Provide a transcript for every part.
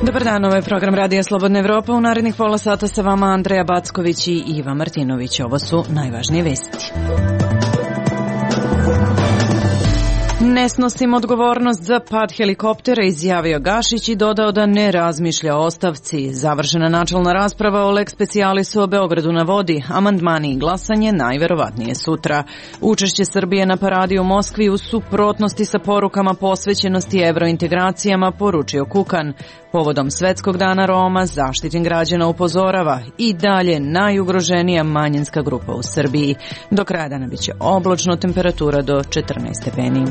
Dobar dan, ovo je program Radija Slobodna Evropa. U narednih pola sata sa vama Andreja Backović i Iva Martinović. Ovo su najvažnije vesti. Ne snosim odgovornost za pad helikoptera, izjavio Gašić i dodao da ne razmišlja o ostavci. Završena načelna rasprava o lex specialisu o Beogradu na vodi. Amandmani i glasanje najverovatnije sutra. Učešće Srbije na paradi u Moskvi u suprotnosti sa porukama posvećenosti evrointegracijama, poručio Kukan. Povodom Svetskog dana Roma Zaštitnik građana upozorava i dalje najugroženija manjinska grupa u Srbiji. Do kraja dana biće oblačno, temperatura do 14 stepeni.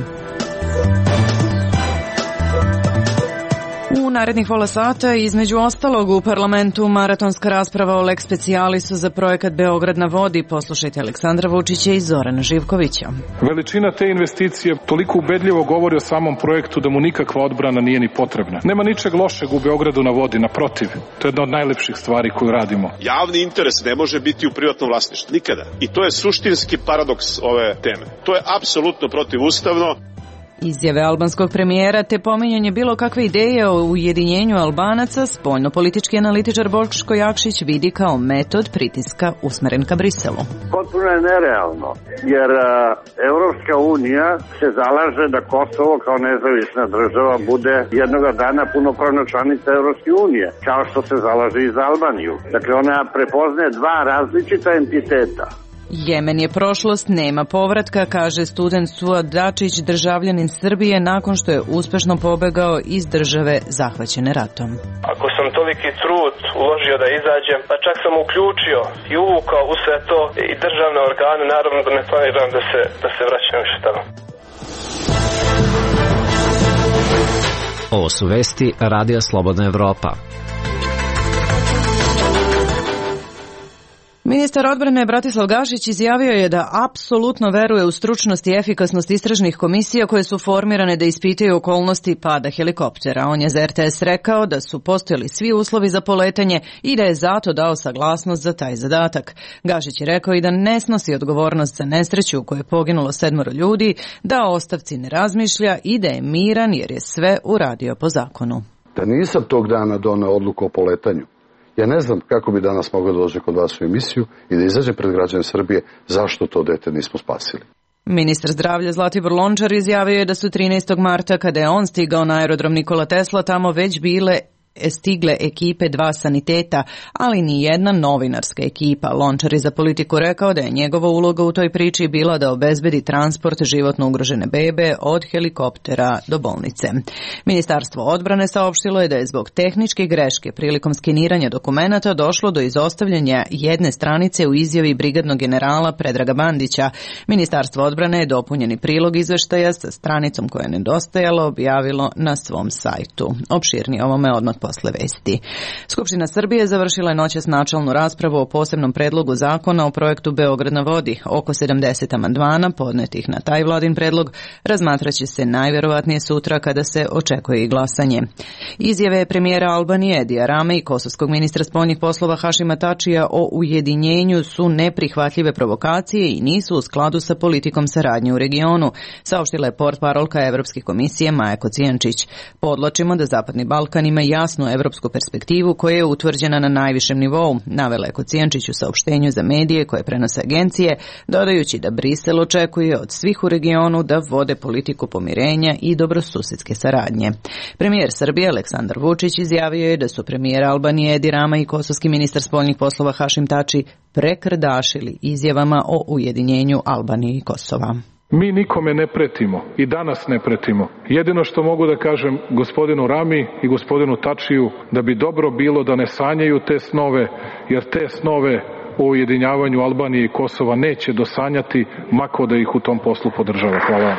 U narednih pola sata, između ostalog, u parlamentu maratonska rasprava o lex specialisu za projekat Beograd na vodi. Poslušajte Aleksandra Vučića i Zorana Živkovića. Veličina te investicije toliko ubedljivo govori o samom projektu da mu nikakva odbrana nije ni potrebna. Nema ničeg lošeg u Beogradu na vodi, naprotiv. To je jedna od najlepših stvari koju radimo. Javni interes ne može biti u privatnom vlasništvu. Nikada. I to je suštinski paradoks ove teme. To je apsolutno protivustavno. Izjave albanskog premijera te pominjanje bilo kakve ideje o ujedinjenju Albanaca spoljno-politički analitičar Boško Jakšić vidi kao metod pritiska usmeren ka Briselu. Potpuno je nerealno, jer Evropska unija se zalaže da Kosovo kao nezavisna država bude jednoga dana punopravna članica Evropske unije, kao što se zalaže i za Albaniju. Dakle, ona prepoznaje dva različita entiteta. Jemen je prošlost, nema povratka, kaže student Suad Dačić, državljanin Srbije, nakon što je uspešno pobegao iz države zahvaćene ratom. Ako sam toliki trud uložio da izađem, pa čak sam uključio i uvukao u sve to i državne organe, naravno da ne planiram da se vraćam više tamo. Ovo su vesti Radija Slobodna Evropa. Ministar odbrane Bratislav Gašić izjavio je da apsolutno veruje u stručnost i efikasnost istražnih komisija koje su formirane da ispitaju okolnosti pada helikoptera. On je za RTS rekao da su postojali svi uslovi za poletanje i da je zato dao saglasnost za taj zadatak. Gašić je rekao i da ne snosi odgovornost za nesreću u kojoj je poginulo 7 ljudi, da o ostavci ne razmišlja i da je miran jer je sve uradio po zakonu. Da nisam tog dana doneo odluku o poletanju, ja ne znam kako bi danas mogao doći kod vas u emisiju i da izađe pred građane Srbije zašto to dete nismo spasili. Ministar zdravlja Zlatibor Lončar izjavio je da su 13. marta, kada je on stigao na aerodrom Nikola Tesla, tamo već stigle ekipe 2 saniteta, ali ni jedna novinarska ekipa. Lončar je za Politiku rekao da je njegova uloga u toj priči bila da obezbedi transport životno ugrožene bebe od helikoptera do bolnice. Ministarstvo odbrane saopštilo je da je zbog tehničke greške prilikom skeniranja dokumenata došlo do izostavljanja jedne stranice u izjavi brigadnog generala Predraga Bandića. Ministarstvo odbrane je dopunjeni prilog izveštaja sa stranicom koja je nedostajala objavilo na svom sajtu. Opširnije ovome odmah posle vesti. Skupština Srbije završila je noćas načelnu raspravu o posebnom predlogu zakona o projektu Beograd na vodi. Oko 70 amandmana podnetih na taj vladin predlog razmatraće se najverovatnije sutra kada se očekuje i glasanje. Izjave premijera Albanije Edija Rame i kosovskog ministra spoljnih poslova Hašima Tačija o ujedinjenju su neprihvatljive provokacije i nisu u skladu sa politikom saradnje u regionu, saopštila je portparolka Evropske komisije Maja Kocijančić. Podlačimo da Zapadni Balkan ima jasnu evropsku perspektivu koja je utvrđena na najvišem nivou, navela je Kocijančić u saopštenju za medije koje prenose agencije, dodajući da Brisel očekuje od svih u regionu da vode politiku pomirenja i dobrosusedske saradnje. Premijer Srbije Aleksandar Vučić izjavio je da su premijer Albanije Edi Rama i kosovski ministar spoljnih poslova Hašim Tači prekrdašili izjavama o ujedinjenju Albanije i Kosova. Mi nikome ne pretimo i danas ne pretimo. Jedino što mogu da kažem gospodinu Rami i gospodinu Tačiju da bi dobro bilo da ne sanjaju te snove, jer te snove o ujedinjavanju Albanije i Kosova neće dosanjati, mako da ih u tom poslu podržava. Hvala.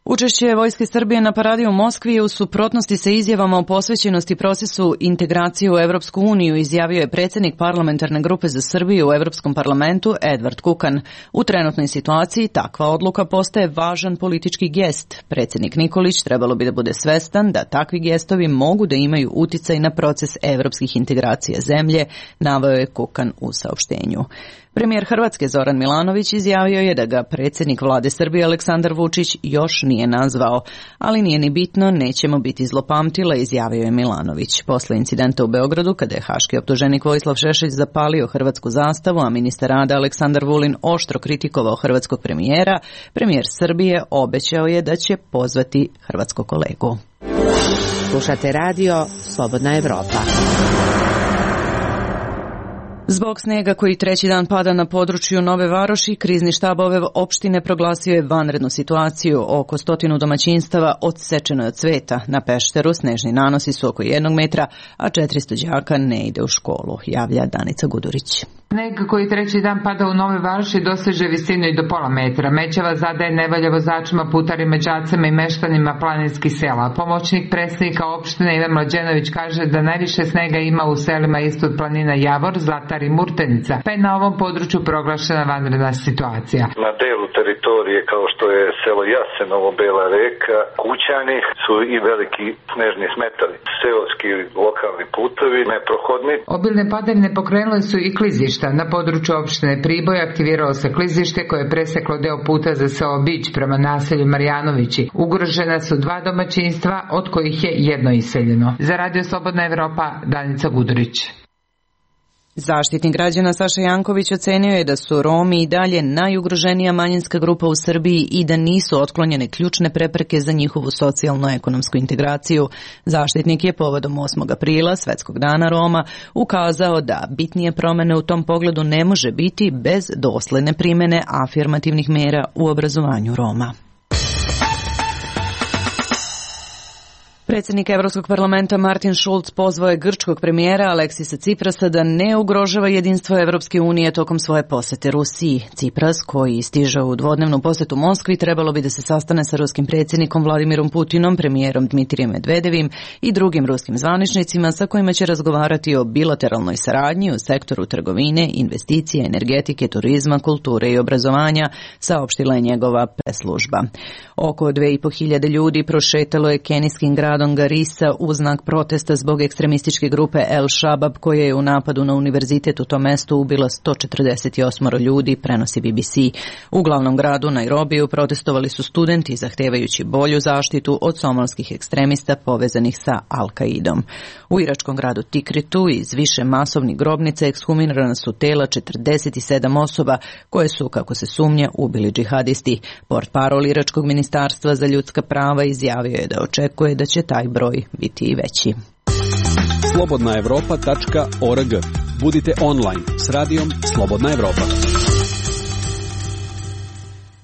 Učešće Vojske Srbije na paradi u Moskvi je u suprotnosti sa izjavama o posvećenosti procesu integracije u Evropsku uniju, izjavio je predsjednik parlamentarne grupe za Srbiju u Evropskom parlamentu Edvard Kukan. U trenutnoj situaciji takva odluka postaje važan politički gest. Predsjednik Nikolić trebalo bi da bude svestan da takvi gestovi mogu da imaju uticaj na proces evropskih integracija zemlje, naveo je Kukan u saopštenju. Premijer Hrvatske Zoran Milanović izjavio je da ga predsjednik vlade Srbije Aleksandar Vučić još nije nazvao, ali nije ni bitno, nećemo biti zlopamtila, izjavio je Milanović. Posle incidenta u Beogradu, kada je haški optuženik Vojislav Šešelj zapalio hrvatsku zastavu, a ministar rada Aleksandar Vulin oštro kritikovao hrvatskog premijera, premijer Srbije obećao je da će pozvati hrvatskog kolegu. Slušate radio Slobodna Evropa. Zbog snega koji treći dan pada na području Nove Varoši, krizni štab ove opštine proglasio je vanrednu situaciju. Oko 100 domaćinstava odsečeno je od cveta. Na Pešteru snežni nanosi su oko 1 metra, a 400 đaka ne ide u školu, javlja Danica Gudurić. Sneg koji treći dan pada u Nove Varoši doseže visinu i do pola metra. Mećava zadaje nevolja vozačima, putarima, đacima i meštanima planinskih sela. Pomoćnik predstavnika opštine Ivan Mlađenović kaže da najviše snega ima u selima ispod planina Javor, Zlatar i Murtenica, pa je na ovom području proglašena vanredna situacija. Na delu teritorije kao što je selo Jasenovo, Bela Reka, Kućani su i veliki snežni smetali. Seoski lokalni putovi neprohodni. Obilne padavine pokrenule su i klizišta. Na području opštine Priboj aktiviralo se klizište koje je preseklo deo puta za selo Bić prema naselju Marjanovići. Ugrožena su 2 domaćinstva, od kojih je 1 iseljeno. Za Radio Slobodna Evropa, Danica Gudurić. Zaštitnik građana Saša Janković ocenio je da su Romi i dalje najugroženija manjinska grupa u Srbiji i da nisu otklonjene ključne prepreke za njihovu socijalno-ekonomsku integraciju. Zaštitnik je povodom 8. aprila, Svetskog dana Roma, ukazao da bitnije promene u tom pogledu ne može biti bez dosledne primene afirmativnih mera u obrazovanju Roma. Predsjednik Evropskog parlamenta Martin Schulz pozvao je grčkog premijera Aleksisa Ciprasa da ne ugrožava jedinstvo Evropske unije tokom svoje posete Rusiji. Cipras, koji stiže u dvodnevnu posetu Moskvi, trebalo bi da se sastane sa ruskim predsjednikom Vladimirom Putinom, premijerom Dmitrijem Medvedevim i drugim ruskim zvaničnicima sa kojima će razgovarati o bilateralnoj saradnji u sektoru trgovine, investicije, energetike, turizma, kulture i obrazovanja, saopštila je njegova preslužba. Oko 2.500 ljudi prošetalo je kenijskim gradom Garissa u znak protesta zbog ekstremističke grupe El Shabab koja je u napadu na univerzitet u tom mestu ubila 148 ljudi, prenosi BBC. U glavnom gradu Nairobiju protestovali su studenti zahtevajući bolju zaštitu od somalskih ekstremista povezanih sa Al-Qaidom. U iračkom gradu Tikritu iz više masovnih grobnica ekshumirana su tela 47 osoba koje su, kako se sumnja, ubili džihadisti. Portparol iračkog ministarstva za ljudska prava izjavio je da očekuje da će taj broj biti i veći. slobodnaevropa.org. Budite online s radijom Slobodna Evropa.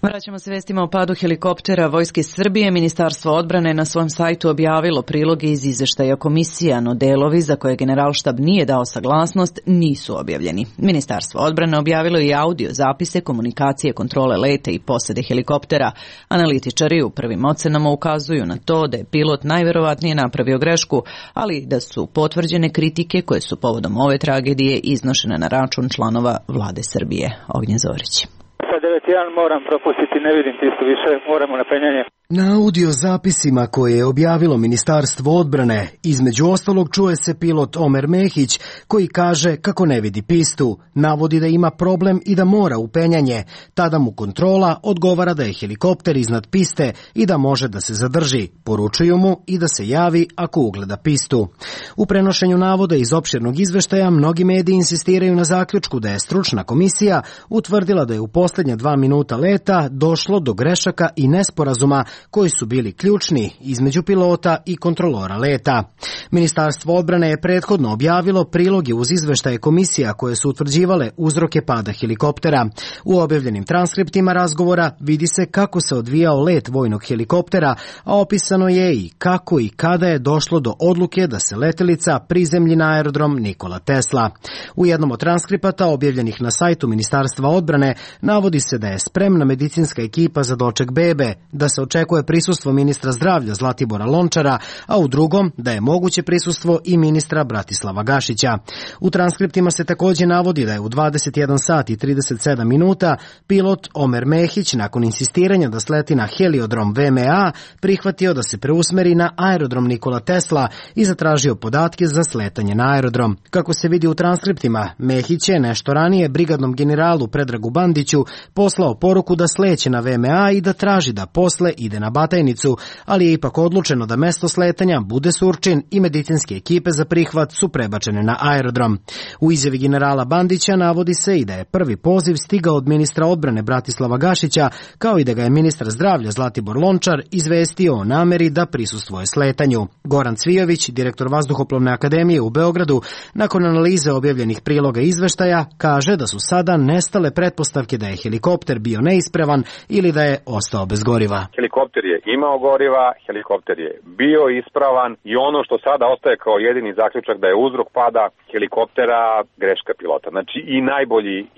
Vraćamo se vestima o padu helikoptera Vojske Srbije. Ministarstvo odbrane na svom sajtu objavilo priloge iz izveštaja komisija, no delovi za koje Generalštab nije dao saglasnost nisu objavljeni. Ministarstvo odbrane objavilo i audio zapise komunikacije, kontrole leta i posade helikoptera. Analitičari u prvim ocenama ukazuju na to da je pilot najverovatnije napravio grešku, ali da su potvrđene kritike koje su povodom ove tragedije iznošene na račun članova vlade Srbije. Ognjen Zorić. Sa 9.1 moram propustiti, ne vidim tisto više, moramo na penjanje. Na audio zapisima koje je objavilo Ministarstvo odbrane, između ostalog čuje se pilot Omer Mehić koji kaže kako ne vidi pistu, navodi da ima problem i da mora u penjanje. Tada mu kontrola odgovara da je helikopter iznad piste i da može da se zadrži. Poručuju mu i da se javi ako ugleda pistu. U prenošenju navoda iz opširnog izveštaja mnogi mediji insistiraju na zaključku da je stručna komisija utvrdila da je u posljednja 2 minuta leta došlo do grešaka i nesporazuma koji su bili ključni između pilota i kontrolora leta. Ministarstvo odbrane je prethodno objavilo priloge uz izveštaje komisija koje su utvrđivale uzroke pada helikoptera. U objavljenim transkriptima razgovora vidi se kako se odvijao let vojnog helikoptera, a opisano je i kako i kada je došlo do odluke da se letelica prizemlji na aerodrom Nikola Tesla. U jednom od transkripata objavljenih na sajtu Ministarstva odbrane navodi se da je spremna medicinska ekipa za doček bebe, da se očekuje prisustvo ministra zdravlja Zlatibora Lončara, a u drugom da je moguće prisustvo i ministra Bratislava Gašića. U transkriptima se također navodi da je u 21 sat i 37 minuta pilot Omer Mehić nakon insistiranja da sleti na heliodrom VMA prihvatio da se preusmeri na aerodrom Nikola Tesla i zatražio podatke za sletanje na aerodrom. Kako se vidi u transkriptima, Mehić je nešto ranije brigadnom generalu Predragu Bandiću poslao poruku da sleće na VMA i da traži da posle ide ide na Batajnicu, ali je ipak odlučeno da mesto sletanja bude Surčin i medicinske ekipe za prihvat su prebačene na aerodrom. U izjavi generala Bandića navodi se i da je prvi poziv stigao od ministra odbrane Bratislava Gašića, kao i da ga je ministar zdravlja Zlatibor Lončar izvestio o nameri da prisustvuje sletanju. Goran Cvijović, direktor Vazduhoplovne akademije u Beogradu, nakon analize objavljenih priloga izveštaja, kaže da su sada nestale pretpostavke da je helikopter bio neispravan ili da je ostao bez goriva. Helikopter je imao goriva, helikopter je bio ispravan i ono što sada ostaje kao jedini zaključak da je uzrok pada helikoptera greška pilota. Znači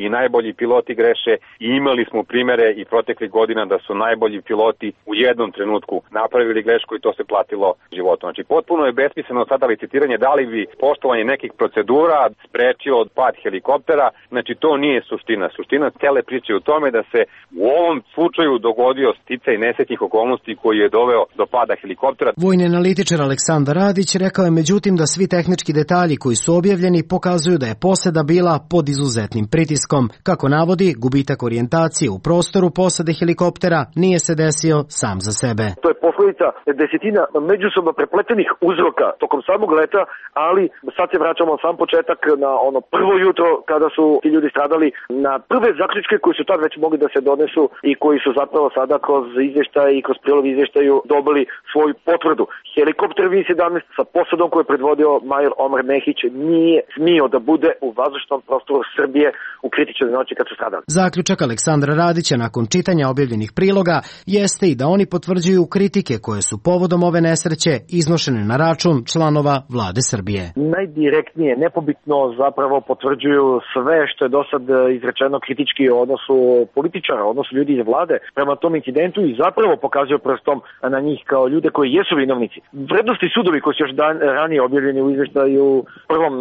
i najbolji piloti greše i imali smo primere i proteklih godina da su najbolji piloti u jednom trenutku napravili grešku i to se platilo životom. Znači potpuno je besmisleno sada licitiranje da li bi poštovanje nekih procedura sprečio od pad helikoptera. Znači to nije suština. Suština cele priče je u tome da se u ovom slučaju dogodio sticaj nesretnih okolnosti koji je doveo do pada helikoptera. Vojni analitičar Aleksandar Radić rekao je međutim da svi tehnički detalji koji su objavljeni pokazuju da je posada bila pod izuzetnim pritiskom. Kako navodi, gubitak orijentacije u prostoru posade helikoptera nije se desio sam za sebe. To je posledica desetina međusobno prepletenih uzroka tokom samog leta, ali sad se vraćamo sam početak na ono prvo jutro kada su ti ljudi stradali, na prve zaključke koji su tad već mogli da se donesu i koji su zapravo sada kroz izvještaj i kroz prilog izvještaju dobili svoju potvrdu. Helikopter V-17 sa posadom koju je predvodio major Omer Mehić nije smio da bude u vazdušnom prostoru Srbije u kritičnoj noći kad su stradali. Zaključak Aleksandra Radića nakon čitanja objavljenih priloga jeste i da oni potvrđuju kritike koje su povodom ove nesreće iznošene na račun članova vlade Srbije. Najdirektnije, nepobitno zapravo potvrđuju sve što je do sad izrečeno kritički o odnosu političara, odnosu ljudi iz vlade prema tom incidentu i zapravo pokazuju prstom na njih kao ljude koji jesu vinovnici. Vrednosti sudovi koji su još ranije objavljeni u izveštaju prvom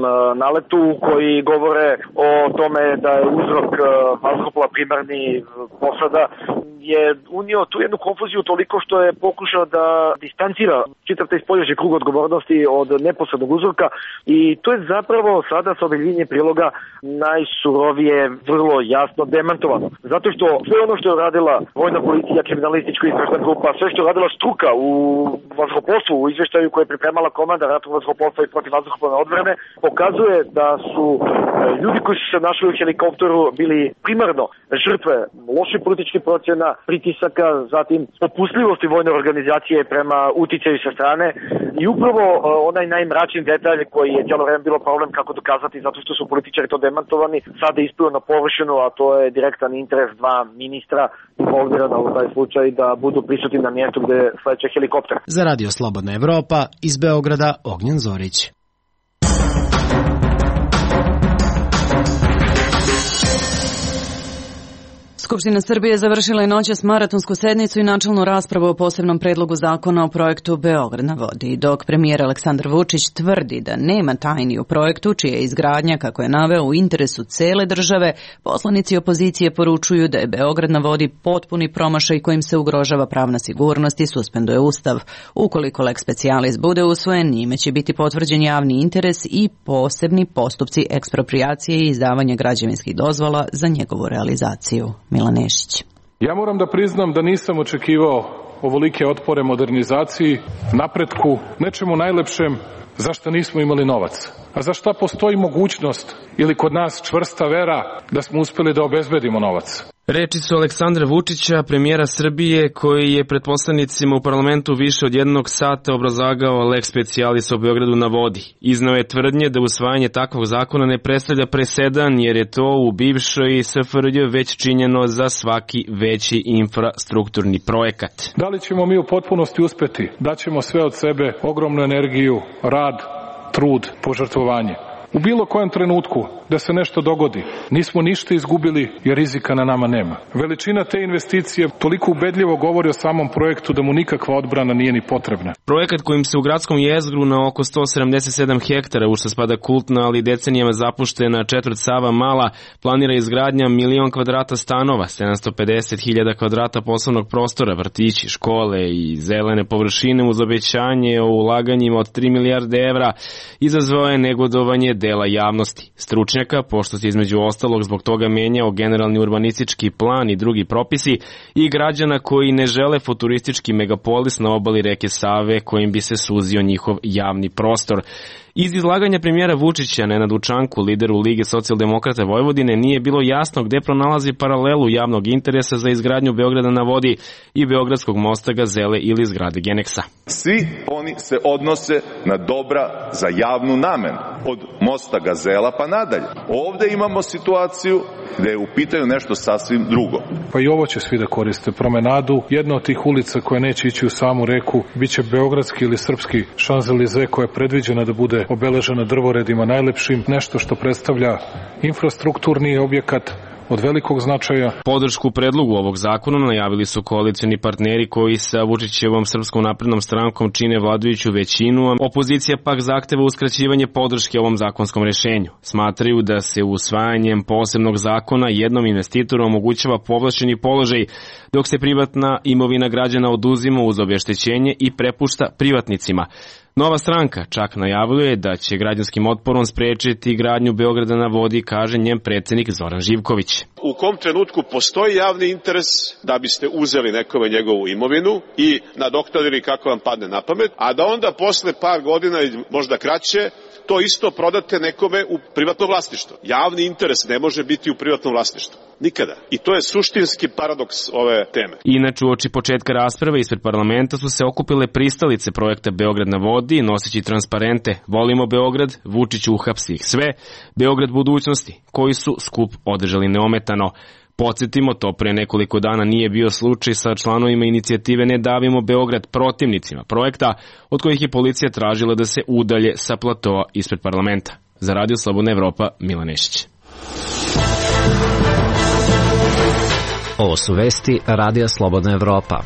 naletu koji govore o tome da je uzrok vazduhoplova primarni posada je unio tu jednu konfuziju toliko što je pokušao da distancira čitav taj spoljašnji krug odgovornosti od neposrednog uzroka i to je zapravo sada sa objavljenjem priloga najsurovije, vrlo jasno demantovano. Zato što sve ono što je uradila vojna policija, kriminalistička istražna grupa, sve što je uradila struka u vazduhoplovstvu, u izveštaju koje je pripremala komanda ratnog vazduhoplovstva i protivvazduhoplovne odbrane, pokazuje da su ljudi koji su se našli u helikopteru bili primarno žrtve loših političkih procjena, pritisaka, zatim popustljivosti vojne organizacije prema uticaju sa strane i upravo onaj najmračniji detalj koji je cijelo vreme bilo problem kako dokazati zato što su političari to demantovani, sada je isplio na površinu, a to je direktan interes dva ministra involvirana u taj slučaj da budu prisutni na mjestu gde sleće helikopter. Za Radio Slobodna Evropa iz Beograda Ognjen Zorić. Skupština Srbije završila je noćas maratonsku sednicu i načelnu raspravu o posebnom predlogu zakona o projektu Beograd na vodi. Dok premijer Aleksandar Vučić tvrdi da nema tajni u projektu, čija je izgradnja, kako je naveo, u interesu cele države, poslanici opozicije poručuju da je Beograd na vodi potpuni promašaj kojim se ugrožava pravna sigurnost i suspenduje Ustav. Ukoliko lex specialis bude usvojen, njime će biti potvrđen javni interes i posebni postupci eksproprijacije i izdavanja građevinskih dozvola za njegovu realizaciju. Milan Nešić. Ja moram da priznam da nisam očekivao ovolike otpore modernizaciji, napretku, nečemu najlepšem za što nismo imali novac. A za šta postoji mogućnost ili kod nas čvrsta vera da smo uspeli da obezbedimo novac? Reči su Aleksandra Vučića, premijera Srbije, koji je pred poslanicima u parlamentu više od 1 sata obrazlagao lex specialis o Beogradu na vodi. Izneo je tvrdnje da usvajanje takvog zakona ne predstavlja presedan, jer je to u bivšoj SFRJ već činjeno za svaki veći infrastrukturni projekat. Da li ćemo mi u potpunosti uspeti? Daćemo sve od sebe, ogromnu energiju, rad, trud, požrtvovanje. U bilo kojem trenutku da se nešto dogodi, nismo ništa izgubili jer rizika na nama nema. Veličina te investicije toliko ubedljivo govori o samom projektu da mu nikakva odbrana nije ni potrebna. Projekat kojim se u gradskom jezgru na oko 177 hektara, u što spada kultna, ali decenijama zapuštena četvrt Sava Mala, planira izgradnja 1.000.000 kvadrata stanova, 750.000 kvadrata poslovnog prostora, vrtići, škole i zelene površine uz obećanje o ulaganjima od 3 milijarde evra, izazvao je negodovanje dela javnosti, stručnjaka, pošto se između ostalog zbog toga menjao generalni urbanistički plan i drugi propisi, i građana koji ne žele futuristički megapolis na obali reke Save kojim bi se suzio njihov javni prostor. Iz izlaganja premijera Vučića Nenadu Čanku, lideru Lige socijaldemokrata Vojvodine, nije bilo jasno gde pronalazi paralelu javnog interesa za izgradnju Beograda na vodi i Beogradskog mosta Gazele ili zgrade Geneksa. Svi oni se odnose na dobra za javnu namenu, od mosta Gazela pa nadalje. Ovde imamo situaciju gde je u pitanju nešto sasvim drugo. Pa i ovo će svi da koriste, promenadu. Jedna od tih ulica koja neće ići u samu reku biće beogradski ili srpski Šanzelize, koja je predviđena da bude obeležena drvoredima najlepšim, nešto što predstavlja infrastrukturni objekat od velikog značaja. Podršku predlogu ovog zakona najavili su koalicioni partneri koji sa Vučićevom Srpskom naprednom strankom čine vladajuću većinu, a opozicija pak zahteva uskraćivanje podrške ovom zakonskom rešenju. Smatraju da se usvajanjem posebnog zakona jednom investitoru omogućava povlašćeni položaj, dok se privatna imovina građana oduzima uz obeštećenje i prepušta privatnicima. Nova stranka čak najavljuje da će građanskim otporom sprečiti gradnju Beograda na vodi, kaže njen predsednik Zoran Živković. U kom trenutku postoji javni interes da biste uzeli nekome njegovu imovinu i nadoknadili kako vam padne na pamet, a da onda posle par godina ili možda kraće to isto prodate nekome u privatno vlasništvo. Javni interes ne može biti u privatnom vlasništvu. Nikada. I to je suštinski paradoks ove teme. Inače, uoči početka rasprave ispred parlamenta su se okupile pristalice projekta Beograd na vodi, noseći transparente Volimo Beograd, Vučić uhapsi ih sve, Beograd budućnosti, koji su skup održali neometano. Podsjetimo, to pre nekoliko dana nije bio slučaj sa članovima inicijative Ne davimo Beograd, protivnicima projekta, od kojih je policija tražila da se udalje sa platoa ispred parlamenta. Za Radio Slobodna Evropa, Milan Nešić. Ovo su vesti Radija Slobodna Evropa.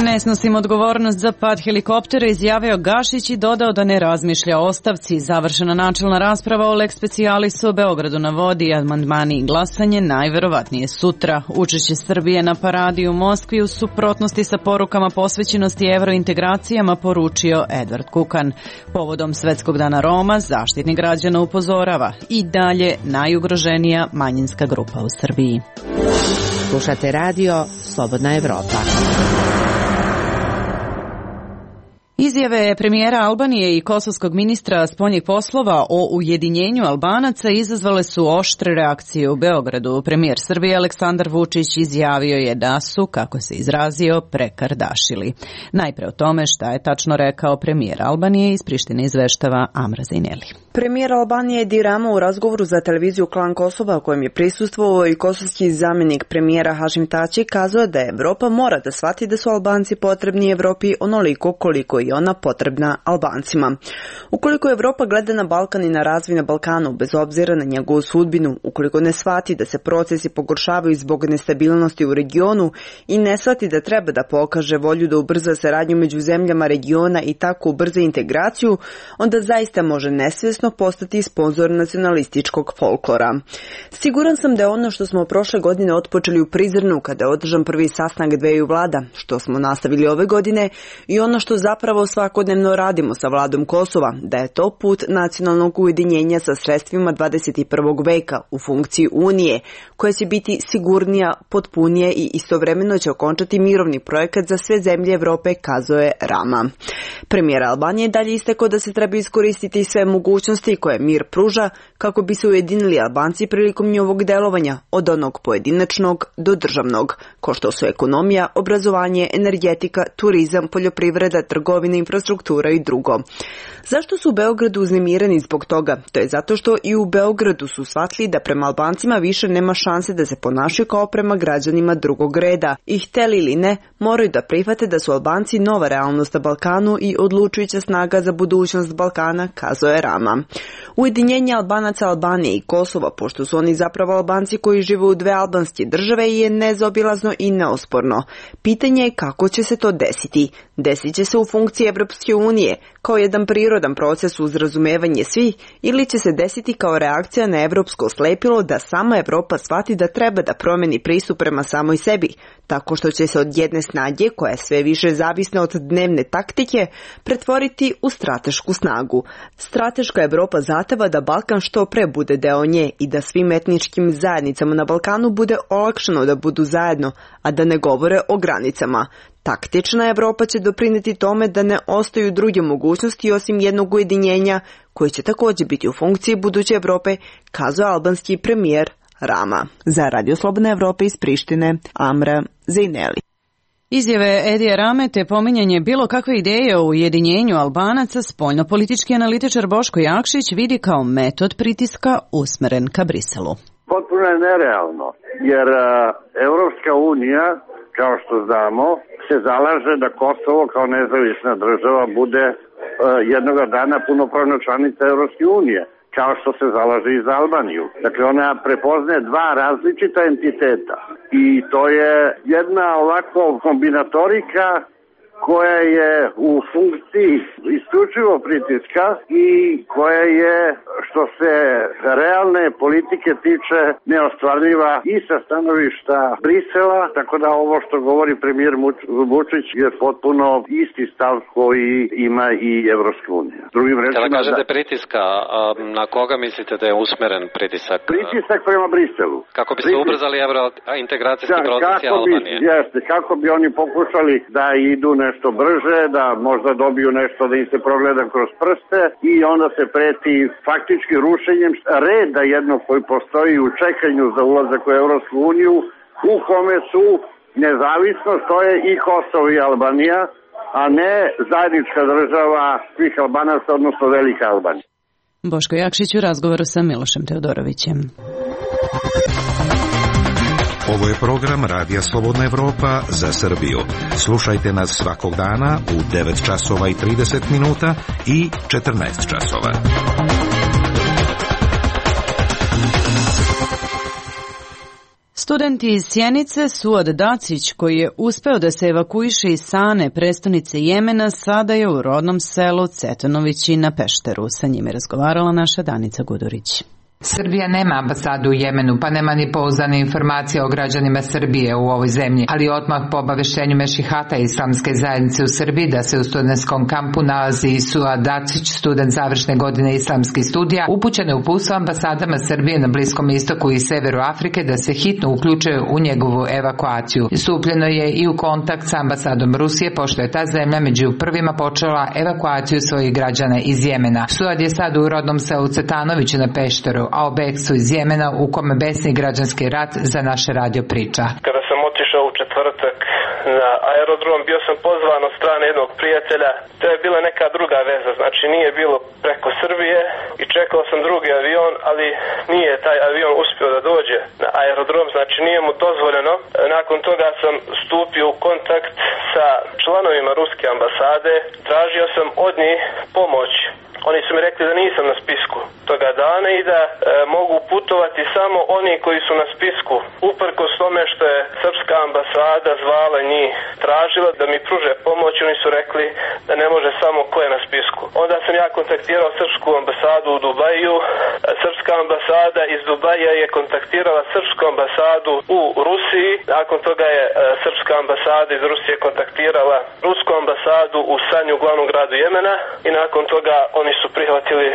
Ne snosim odgovornost za pad helikoptera, izjavio Gašić i dodao da ne razmišlja o ostavci. Završena načelna rasprava o lex specialisu o Beogradu na vodi, amandmani i glasanje najverovatnije sutra. Učešće Srbije na paradi u Moskvi u suprotnosti sa porukama posvećenosti evrointegracijama, poručio Edvard Kukan. Povodom Svetskog dana Roma, Zaštitnik građana upozorava i dalje najugroženija manjinska grupa u Srbiji. Slušate radio Slobodna Evropa. Izjave premijera Albanije i kosovskog ministra spoljnih poslova o ujedinjenju Albanaca izazvale su oštre reakcije u Beogradu. Premijer Srbije Aleksandar Vučić izjavio je da su, kako se izrazio, prekardašili. Najpre o tome šta je tačno rekao premijer Albanije, iz Prištine izveštava Amra Zajneli. Premijer Albanije Edi Rama u razgovoru za televiziju Klan Kosova, kojem je prisustvovao i kosovski zamjenik premijera Hašim Tači, kazao da Evropa mora da shvati da su Albanci potrebni Evropi onoliko koliko i ona potrebna Albancima. Ukoliko Evropa gleda na Balkan i na razvoj na Balkanu, bez obzira na njegovu sudbinu, ukoliko ne shvati da se procesi pogoršavaju zbog nestabilnosti u regionu i ne shvati da treba da pokaže volju da ubrza saradnju među zemljama regiona i tako ubrza integraciju, onda zaista može nesvjesno postati sponzor nacionalističkog folklora. Siguran sam da je ono što smo prošle godine otpočeli u Prizrenu kada je održan prvi sastanak dveju vlada, što smo nastavili ove godine, i ono što zapravo svakodnevno radimo sa vladom Kosova, da je to put nacionalnog ujedinjenja sa sredstvima 21. veka u funkciji Unije, koja će biti sigurnija, potpunije i istovremeno će okončati mirovni projekat za sve zemlje Evrope, kazao je Rama. Premijer Albanije dalje istakao da se treba iskoristiti sve mogućnosti koje mir pruža kako bi se ujedinili Albanci prilikom njihovog delovanja, od onog pojedinačnog do državnog, kao što su ekonomija, obrazovanje, energetika, turizam, poljoprivreda, trgovina, infrastruktura i drugo. Zašto su u Beogradu uznemireni zbog toga? To je zato što i u Beogradu su shvatili da prema Albancima više nema šanse da se ponašaju kao prema građanima drugog reda. I hteli ili ne, moraju da prihvate da su Albanci nova realnost na Balkanu i odlučujuća snaga za budućnost Balkana, kazao je Rama. Ujedinjenje Albanaca, Albanije i Kosova, pošto su oni zapravo Albanci koji žive u dve albanske države, je nezaobilazno i neosporno. Pitanje je kako će se to desiti. Desit će se u funkciji Evropske unije kao jedan prirodan proces uz razumevanje svih ili će se desiti kao reakcija na evropsko slepilo da sama Evropa shvati da treba da promeni pristup prema samoj sebi, tako što će se od jedne snage, koja je sve više zavisna od dnevne taktike, pretvoriti u stratešku snagu. Strateška Evropa zahteva da Balkan što pre bude deo nje i da svim etničkim zajednicama na Balkanu bude olakšano da budu zajedno, a da ne govore o granicama. Taktična Evropa će doprineti tome da ne ostaju druge mogućnosti osim jednog ujedinjenja, koje će također biti u funkciji buduće Evrope, kazao albanski premijer Rama. Za Radio Slobodna Evropa iz Prištine, Amra Zejneli. Izjave Edija Rame te pominjanje bilo kakve ideje o ujedinjenju Albanaca spoljnopolitički analitičar Boško Jakšić vidi kao metod pritiska usmeren ka Briselu. Potpuno je nerealno, jer Evropska unija, kao što znamo, se zalaže da Kosovo kao nezavisna država bude jednoga dana punopravna članica Evropske unije, kao što se zalaže i za Albaniju. Dakle, ona prepoznaje dva različita entiteta i to je jedna ovako kombinatorika koja je u funkciji isključivo pritiska i koja je, što se realne politike tiče, neostvarljiva i sa stanovišta Brisela, tako da ovo što govori premijer Vučić je potpuno isti stav koji ima i Evropska unija. Drugim rečima, kada kažete pritiska, na koga mislite da je usmeren pritisak? Pritisak prema Briselu. Kako bi se ubrzali evrointegracijski procesi Albanije? Jeste, kako bi oni pokušali da idu nešto brže, da možda dobiju nešto da im se progleda kroz prste i onda se preti faktički rušenjem reda jednog koji postoji u čekanju za ulazak u Evropsku uniju, u kome su nezavisno stoje i Kosovo i Albanija, a ne zajednička država svih Albanaca, odnosno Velika Albanija. Boško Jakšić u razgovoru sa Milošem Teodorovićem. Ovo je program Radija Slobodna Evropa za Srbiju. Slušajte nas svakog dana u 9 časova i 30 minuta i 14 časova. Studenti iz Sjenice, Suad Dacić, koji je uspeo da se evakuiše iz Sane, prestonice Jemena, sada je u rodnom selu Cetanovići na Pešteru. Sa njime razgovarala naša Danica Gudurić. Srbija nema ambasadu u Jemenu, pa nema ni pouzdane informacije o građanima Srbije u ovoj zemlji, ali odmah po obaveštenju Mešihata Islamske zajednice u Srbiji da se u studentskom kampu nalazi Suad Dacić, student završne godine islamskih studija, upućeno je uputstvo ambasadama Srbije na Bliskom istoku i severu Afrike da se hitno uključe u njegovu evakuaciju. Stupljeno je i u kontakt sa ambasadom Rusije, pošto je ta zemlja među prvima počela evakuaciju svojih građana iz Jemena. Suad je sad u rodnom selu Cetanoviću na Pešteru, a o bekstvu iz Jemena u kome besni građanski rat za naše radio priča. Kada sam otišao u četvrtak na aerodrom, bio sam pozvan od strane jednog prijatelja. To je bila neka druga veza, znači nije bilo preko Srbije i čekao sam drugi avion, ali nije taj avion uspio da dođe na aerodrom, znači nije mu dozvoljeno. Nakon toga sam stupio u kontakt sa članovima ruske ambasade, tražio sam od njih pomoć. Oni su mi rekli da nisam na spisku toga dana i da mogu putovati samo oni koji su na spisku. Uprkos tome što je srpska ambasada zvala njih, tražila da mi pruže pomoć, oni su rekli da ne može samo ko je na spisku. Onda sam ja kontaktirao srpsku ambasadu u Dubaju. Srpska ambasada iz Dubaja je kontaktirala srpsku ambasadu u Rusiji. Nakon toga je srpska ambasada iz Rusije kontaktirala rusku ambasadu u Sanju, glavnom gradu Jemena, i nakon toga oni su prihvatili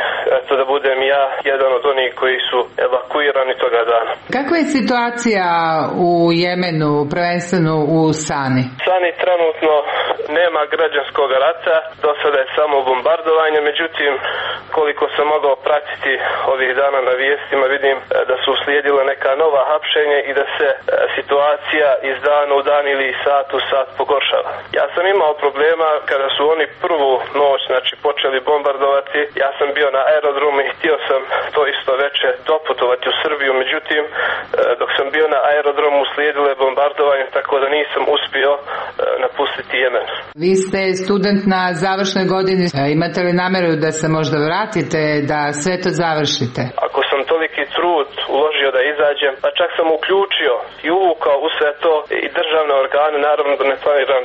da budem ja jedan od onih koji su evakuirani toga dana. Kakva je situacija u Jemenu, prvenstveno u Sani? Sani trenutno nema građanskog rata, do sada je samo bombardovanje, međutim koliko sam mogao pratiti ovih dana na vijestima, vidim da su uslijedile neka nova hapšenja i da se situacija iz dana u dan ili sat u sat pogoršava. Ja sam imao problema kada su oni prvu noć, znači, počeli bombardovati. Ja sam bio na aerodromu i htio sam to isto veče doputovati u Srbiju, međutim dok sam bio na aerodromu uslijedilo je bombardovanje, tako da nisam uspio napustiti Jemen. Vi ste student na završnoj godini, imate li nameru da se možda vratite, da sve to završite? Ako sam to toliki trud uložio da izađem, pa čak sam uključio i uvukao u sve to i državne organe, naravno da ne planiram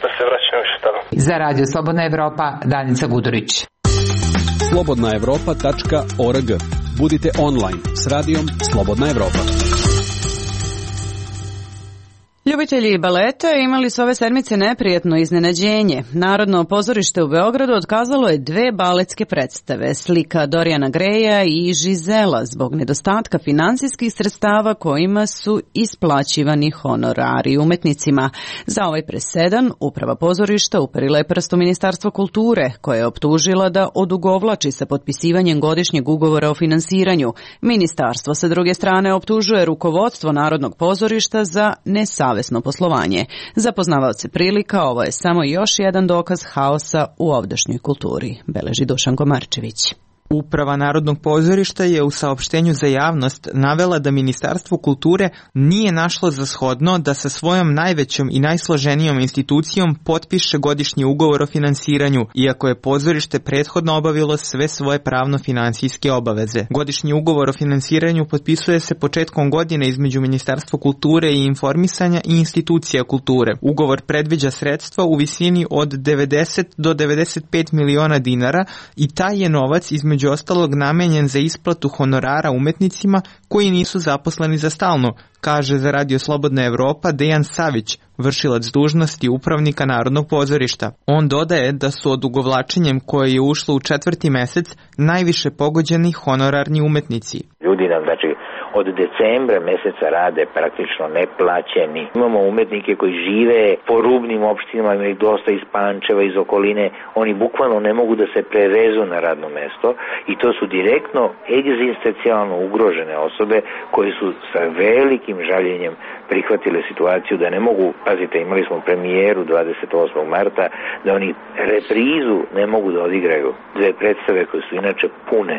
da se vraćam više tamo. Za Radio Slobodna Evropa, Danica Gudurić. slobodnaevropa.org. Budite online s radijom Slobodna Evropa. Ljubitelji baleta imali su ove sedmice neprijatno iznenađenje. Narodno pozorište u Beogradu otkazalo je 2 baletske predstave, Slika Dorijana Greja i Žizela, zbog nedostatka finansijskih sredstava kojima su isplaćivani honorari umetnicima. Za ovaj presedan uprava pozorišta uperila je prst u Ministarstvo kulture, koje je optužila da odugovlači sa potpisivanjem godišnjeg ugovora o finansiranju. Ministarstvo sa druge strane optužuje rukovodstvo Narodnog pozorišta za nesavesno poslovanje. Za poznavaoce prilika ovo je samo još jedan dokaz haosa u ovdašnjoj kulturi, beleži Dušan Komarčević. Uprava Narodnog pozorišta je u saopštenju za javnost navela da Ministarstvo kulture nije našlo za shodno da sa svojom najvećom i najsloženijom institucijom potpiše godišnji ugovor o finansiranju, iako je pozorište prethodno obavilo sve svoje pravno-finansijske obaveze. Godišnji ugovor o finansiranju potpisuje se početkom godine između Ministarstva kulture i informisanja i institucija kulture. Ugovor predviđa sredstva u visini od 90 do 95 miliona dinara i taj je novac između ostalog namenjen za isplatu honorara umetnicima koji nisu zaposleni za stalno, kaže za Radio Slobodna Evropa Dejan Savić, vršilac dužnosti upravnika Narodnog pozorišta. On dodaje da su odugovlačenjem koje je ušlo u 4. mesec najviše pogođeni honorarni umetnici. Ljudi nam, od decembra meseca rade praktično neplaćeni. Imamo umetnike koji žive po rubnim opštinama, ima ih dosta iz Pančeva, iz okoline. Oni bukvalno ne mogu da se prevezu na radno mesto i to su direktno egzistencijalno ugrožene osobe koje su sa velikim žaljenjem prihvatile situaciju da ne mogu, pazite, imali smo premijeru 28. marta, da oni reprizu ne mogu da odigraju 2 predstave koje su inače pune,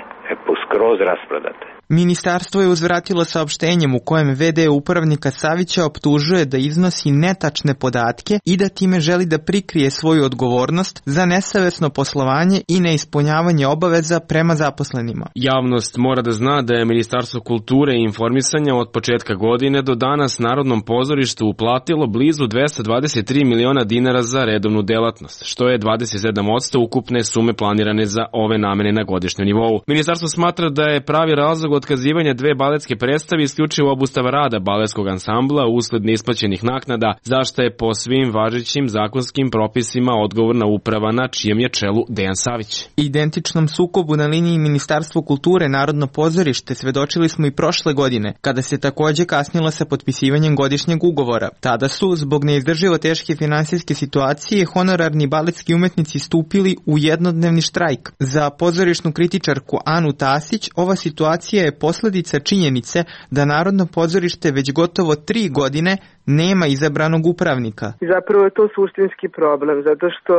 skroz rasprodate. Ministarstvo je uzvratilo saopštenjem u kojem VD upravnika Savića optužuje da iznosi netačne podatke i da time želi da prikrije svoju odgovornost za nesavesno poslovanje i neispunjavanje obaveza prema zaposlenima. Javnost mora da zna da je Ministarstvo kulture i informisanja od početka godine do danas Narodnom pozorištu uplatilo blizu 223 miliona dinara za redovnu delatnost, što je 27% ukupne sume planirane za ove namene na godišnjem nivou. Ministarstvo smatra da je pravi razlog otkazivanja 2 baletske predstave isključivo obustava rada baletskog ansambla usled neisplaćenih naknada, za što je po svim važećim zakonskim propisima odgovorna uprava na čijem je čelu Dejan Savić. Identičnom sukobu na liniji Ministarstvo kulture Narodno pozorište svedočili smo i prošle godine, kada se takođe kasnilo sa potpisivanjem godišnjeg ugovora. Tada su, zbog neizdrživo teške finansijske situacije, honorarni baletski umetnici stupili u jednodnevni štrajk. Za pozorišnu kritičarku Anu Tasić, ova situacija je posledica činjenice da Narodno pozorište već gotovo 3 godine nema izabranog upravnika. Zapravo je to suštinski problem, zato što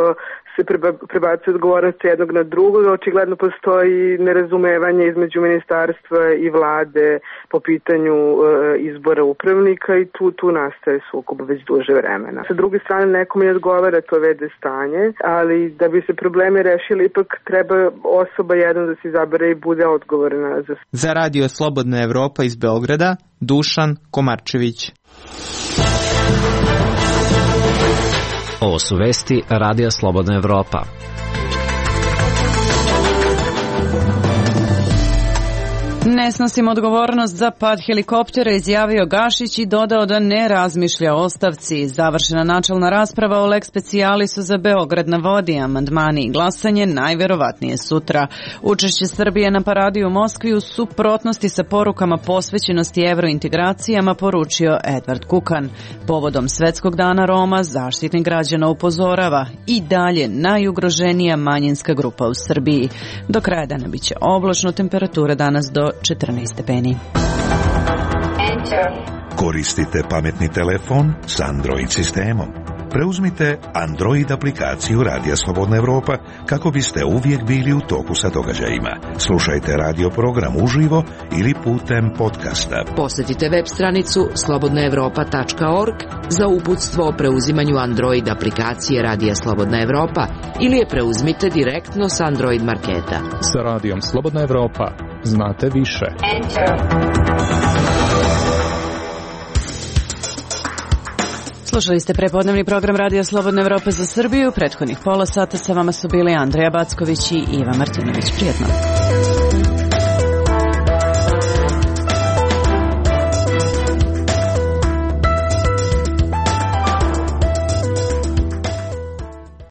se prebacuje odgovornost jednog na drugog, očigledno postoji nerazumevanje između ministarstva i vlade po pitanju izbora upravnika i tu nastaje sukob već duže vremena. Sa druge strane, nekom ne odgovara to VD stanje, ali da bi se problemi rešili, ipak treba osoba jedna da se izabere i bude odgovorna za Radio Slobodna Evropa iz Beograda, Dušan Komarčević. Ovo su vesti Radija Slobodna Evropa. Ne snosim odgovornost za pad helikoptera, izjavio Gašić i dodao da ne razmišlja o ostavci. Završena načelna rasprava o lex specialisu za Beograd na vodi, amandmani i glasanje najverovatnije sutra. Učešće Srbije na paradi u Moskvi u suprotnosti sa porukama posvećenosti evrointegracijama, poručio Edvard Kukan. Povodom Svetskog dana Roma, Zaštitnik građana upozorava i dalje najugroženija manjinska grupa u Srbiji. Do kraja dana biće oblačno, temperatura danas do 14 stepeni. Koristite pametni telefon s Android sistemom. Preuzmite Android aplikaciju Radija Slobodna Evropa kako biste uvijek bili u toku sa događajima. Slušajte radio program uživo ili putem podcasta. Posjetite web stranicu slobodnaevropa.org za uputstvo o preuzimanju Android aplikacije Radija Slobodna Evropa ili je preuzmite direktno s Android marketa. Sa Radijom Slobodna Evropa znate više. Slušali ste prepodnevni program Radija Slobodna Evropa za Srbiju. Prethodnih pola sata sa vama su bili Andreja Backović i Iva Martinović. Prijetno.